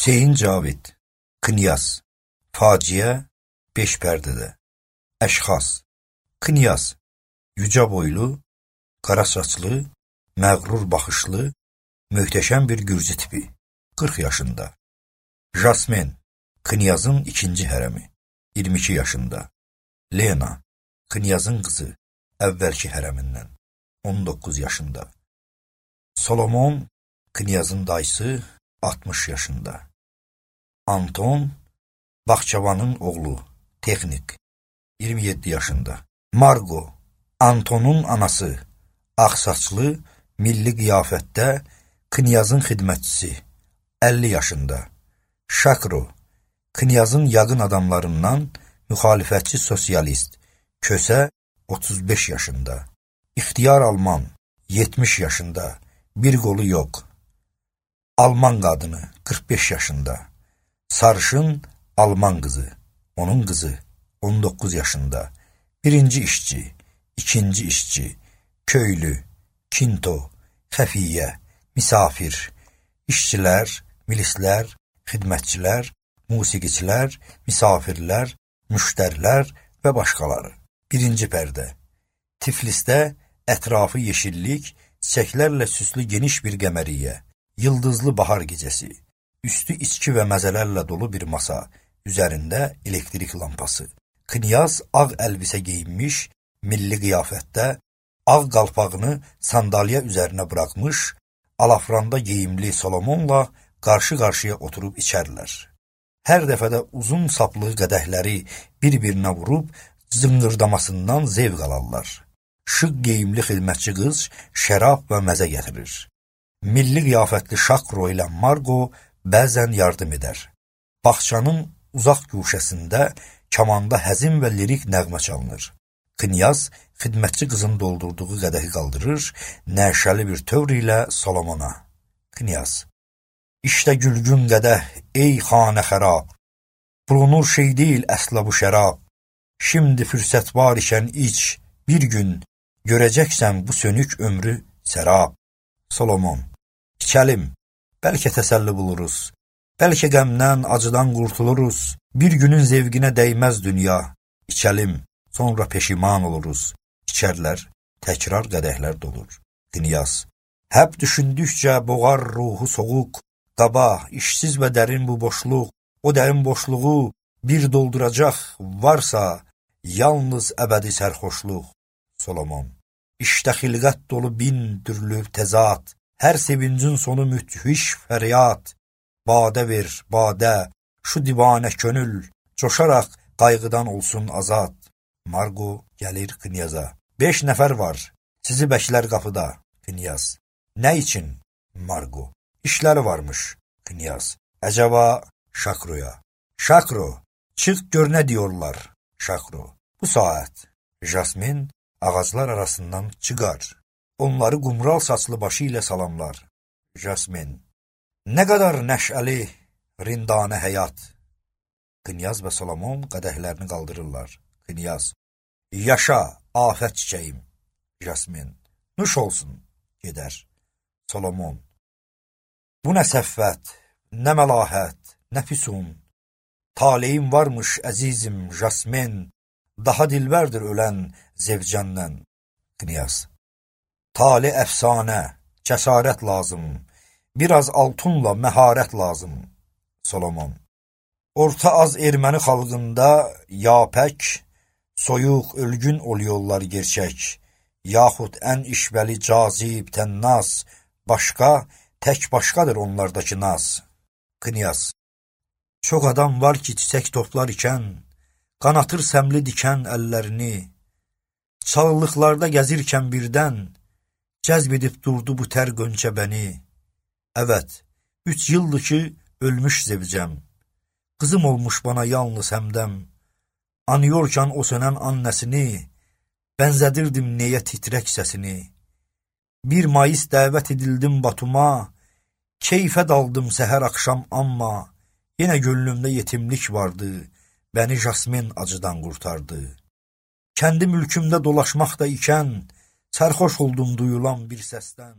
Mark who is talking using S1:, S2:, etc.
S1: Hüseyin Cavid, Knyaz, Faciə, 5 pərdədə. Əşxas, Knyaz, yücə boylu, qara saçlı, məğrur baxışlı, möhtəşəm bir gürcü tipi, 40 yaşında. Jasmin, Knyazın ikinci hərəmi, 22 yaşında. Lena, Knyazın qızı, əvvəlki hərəmindən, 19 yaşında. Solomon, Knyazın dayısı, 60 yaşında. Anton, Baxçavanın oğlu, texnik, 27 yaşında. Margo, Antonun anası, ağsaçlı, milli qiyafətdə, Knyazın xidmətçisi, 50 yaşında. Şakro, Knyazın yaqın adamlarından müxalifətçi sosialist, Kösə, 35 yaşında. İxtiyar Alman, 70 yaşında, bir qolu yox. Alman qadını, 45 yaşında. Sarışın Alman qızı, onun qızı, 19 yaşında. Birinci işçi, ikinci işçi, köylü, kinto, xəfiyyə, misafir, işçilər, milislər, xidmətçilər, musiqiçilər, misafirlər, müştərilər və başqaları. Birinci pərdə. Tiflisdə ətrafı yeşillik, çiçəklərlə süslü geniş bir qəməriyyə, yıldızlı bahar gecəsi, üstü içki və məzələrlə dolu bir masa, üzərində elektrik lampası. Knyaz ağ əlbisə geyinmiş, milli qiyafətdə, ağ qalpağını sandalyə üzərinə buraxmış, alafranda geyimli Solomonla qarşı-qarşıya oturub içərlər. Hər dəfədə uzun saplı qədəhləri bir-birinə vurub, zıngırdamasından zevq alarlar. Şıq geyimli xidmətçi qız şərab və məzə gətirir. Milli qiyafətli Şakro ilə Margo bəzən yardım edər. Bağçanın uzaq guşəsində kamanda həzin və lirik nəğmə çalınır. Knyaz xidmətçi qızın doldurduğu qədəhi qaldırır, nəşəli bir tövr ilə Solomona. Knyaz, İşte gülgün qədəh, ey xanə xərab, bulunur şey deyil əsla bu şərab. Şimdi fürsət var ikən iç, bir gün görəcəksən bu sönük ömrü sərab. Solomon, içəlim, bəlkə təsəlli buluruz, bəlkə qəmdən, acıdan qurtuluruz, bir günün zevqinə dəyməz dünya. İçəlim, sonra peşiman oluruz. İçərlər, təkrar qədəhlər dolur. Knyaz, həb düşündükcə boğar ruhu soğuq, qaba, işsiz və dərin bu boşluq, o dərin boşluğu bir dolduracaq varsa, yalnız əbədi sərxoşluq. Solomon, İşte xilqət dolu bin türlü təzad, hər sevincin sonu müthiş fəryad. Badə ver, badə, şu divanə könül, coşaraq qayğıdan olsun azad. Margo gəlir Knyaza. 5 nəfər var, sizi bəklər qapıda. Knyaz, nə üçün? Margo, İşləri varmış. Knyaz, əcəba Şakroya. Şakro, çıx gör nə diyorlar. Şakro, bu saat. Jasmin ağaclar arasından çıxar. Onları qumral saçlı başı ilə salamlar. Jasmin, nə qədər nəşəli, rindanə həyat. Knyaz və Solomon qədəhlərini qaldırırlar. Knyaz, yaşa, afət çiçəyim. Jasmin, nuş olsun, gedər. Solomon, bu nə səffət, nə məlahət, nə füsun. Taleyim varmış əzizim Jasmin, daha dilbərdir ölən zevcəndən. Knyaz, tali əfsanə, cəsarət lazım, biraz altunla məharət lazım. Solomon, orta az erməni xalqında yapək, soyuq, ölgün oluyorlar gerçək, yaxud ən işvəli cazib, tənnaz, başqa, tək başqadır onlardakı naz. Knyaz, çox adam var ki, çiçək toplar ikən, qanatır səmli dikən əllərini, çalılıqlarda gəzirkən birdən, cəzb edib durdu bu tər qönçə bəni. Əvət, 3 yıldır ki, ölmüş zevcəm, qızım olmuş bana yalnız həmdəm, anıyorkən o sönən annəsini, bənzədirdim neyə titrək səsini. 1 Mayıs dəvət edildim Batuma, keyfə daldım səhər axşam amma, yenə gönlümdə yetimlik vardı, bəni Jasmin acıdan qurtardı. Kəndi mülkümdə dolaşmaqda ikən, sərxoş oldum duyulan bir səsdən.